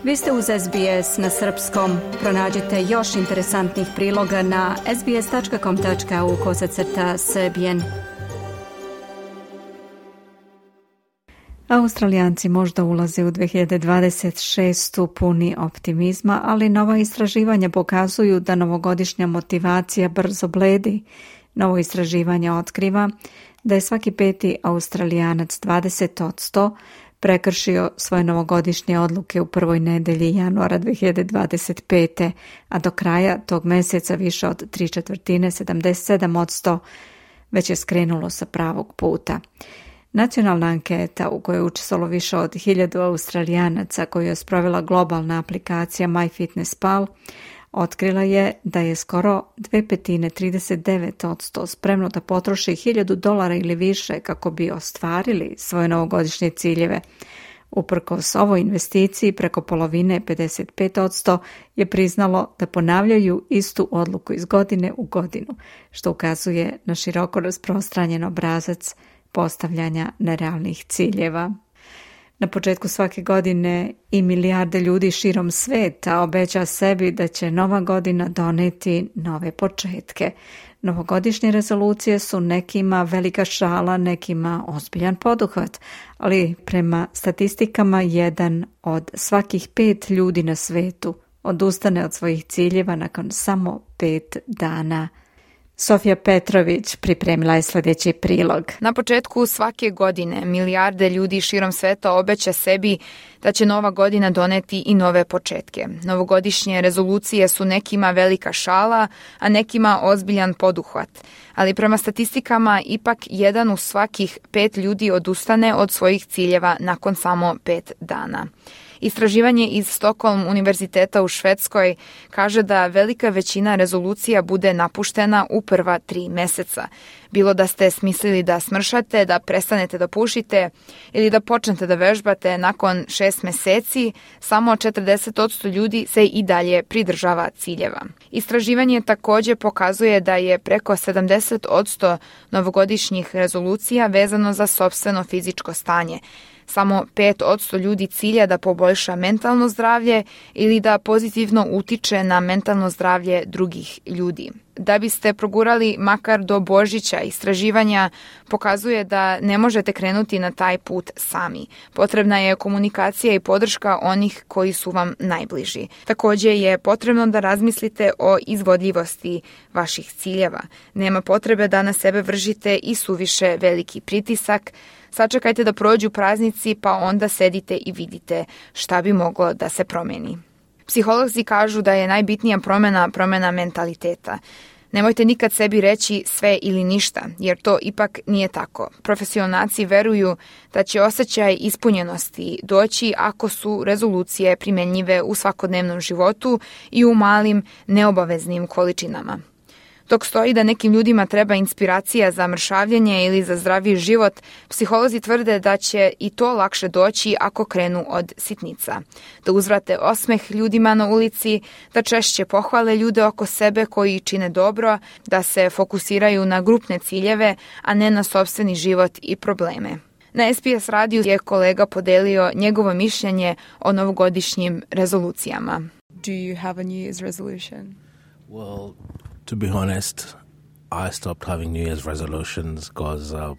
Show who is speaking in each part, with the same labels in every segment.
Speaker 1: Vi ste uz SBS na srpskom. Pronađite još interesantnih priloga na sbs.com.au/srbijen. Australijanci možda ulaze u 2026. puni optimizma, ali nova istraživanja pokazuju da novogodišnja motivacija brzo bledi. Novo istraživanje otkriva da je svaki peti Australijanac 20% prekršio svoje novogodišnje odluke u prvoj nedelji januara 2025. a do kraja tog mjeseca više od 3/4, 77%, već je skrenulo sa pravog puta. Nacionalna anketa u kojoj je učestvovalo više od 1000 Australijanaca koju je sprovela globalna aplikacija MyFitnessPal, otkrila je da je skoro 2/5, 39% spremno da potroši $1000 ili više kako bi ostvarili svoje novogodišnje ciljeve. Uprkos ovoj investiciji, preko polovine, 55%, je priznalo da ponavljaju istu odluku iz godine u godinu, što ukazuje na široko rasprostranjen obrazac postavljanja nerealnih ciljeva. Na početku svake godine i milijarde ljudi širom sveta obeća sebi da će nova godina doneti nove početke. Novogodišnje rezolucije su nekima velika šala, nekima ozbiljan poduhvat, ali prema statistikama 1 od svakih 5 ljudi na svetu odustane od svojih ciljeva nakon samo 5 dana. Sofija Petrović pripremila je sljedeći prilog.
Speaker 2: Na početku svake godine milijarde ljudi širom sveta obeća sebi da će nova godina doneti i nove početke. Novogodišnje rezolucije su nekima velika šala, a nekima ozbiljan poduhvat. Ali prema statistikama ipak 1 u svakih 5 ljudi odustane od svojih ciljeva nakon samo 5 dana. Istraživanje iz Stockholm univerziteta u Švedskoj kaže da velika većina rezolucija bude napuštena u prva 3 mjeseca. Bilo da ste smislili da smršate, da prestanete da pušite ili da počnete da vežbate, nakon 6 mjeseci samo 40% ljudi se i dalje pridržava ciljeva. Istraživanje također pokazuje da je preko 70% novogodišnjih rezolucija vezano za sopstveno fizičko stanje. Samo 5% ljudi cilja da poboljša mentalno zdravlje ili da pozitivno utiče na mentalno zdravlje drugih ljudi. Da biste progurali makar do Božića, istraživanja pokazuje da ne možete krenuti na taj put sami. Potrebna je komunikacija i podrška onih koji su vam najbliži. Također je potrebno da razmislite o izvodljivosti vaših ciljeva. Nema potrebe da na sebe vršite i suviše veliki pritisak. Sačekajte da prođu praznici pa onda sedite i vidite šta bi moglo da se promeni. Psiholozi kažu da je najbitnija promjena mentaliteta. Nemojte nikad sebi reći sve ili ništa, jer to ipak nije tako. Profesionalci veruju da će osjećaj ispunjenosti doći ako su rezolucije primjenjive u svakodnevnom životu i u malim, neobaveznim količinama. Dok stoji da nekim ljudima treba inspiracija za mršavljenje ili za zdraviji život, psiholozi tvrde da će i to lakše doći ako krenu od sitnica. Da uzvrate osmeh ljudima na ulici, da češće pohvale ljude oko sebe koji čine dobro, da se fokusiraju na grupne ciljeve, a ne na sopstveni život i probleme. Na SBS radiju je kolega podelio njegovo mišljenje o novogodišnjim rezolucijama.
Speaker 3: Do you have a New Year's resolution?
Speaker 4: Well, to be honest, I stopped having New Year's resolutions because a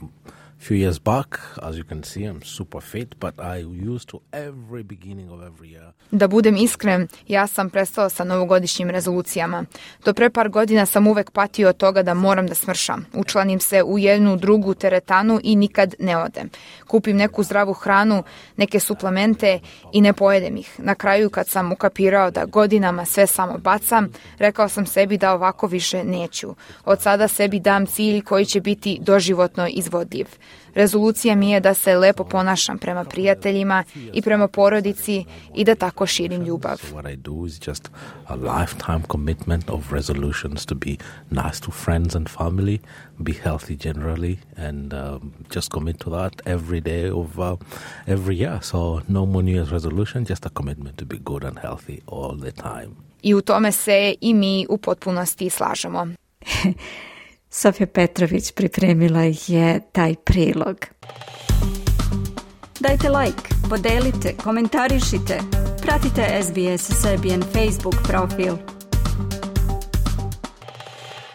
Speaker 4: few years back, as you can see, I'm super fit, but I used to every beginning of every year.
Speaker 2: Da budem iskren, ja sam prestala sa novogodišnjim rezolucijama. Do pre par godina sam uvek patio od toga da moram da smršam. Učlanim se u jednu drugu teretanu i nikad ne odem. Kupim neku zdravu hranu, neke suplemente i ne pojedem ih. Na kraju, kad sam ukapirao da godinama sve samo bacam, rekao sam sebi da ovako više neću. Od sada sebi dam cilj koji će biti doživotno izvodljiv. Rezolucija mi je da se lepo ponašam prema prijateljima i prema porodici i da tako širim ljubav.
Speaker 4: What I do is just a lifetime commitment of resolutions to be nice to friends and family, be healthy generally, and just commit to that every day of every year. So no more New Year's resolution, just a commitment to be good and healthy all the time.
Speaker 2: I u tome se i mi u potpunosti slažemo.
Speaker 1: Sofija Petrović pripremila je taj prilog. Dajte like, podelite, komentarišite, Pratite SBS Serbian Facebook profil.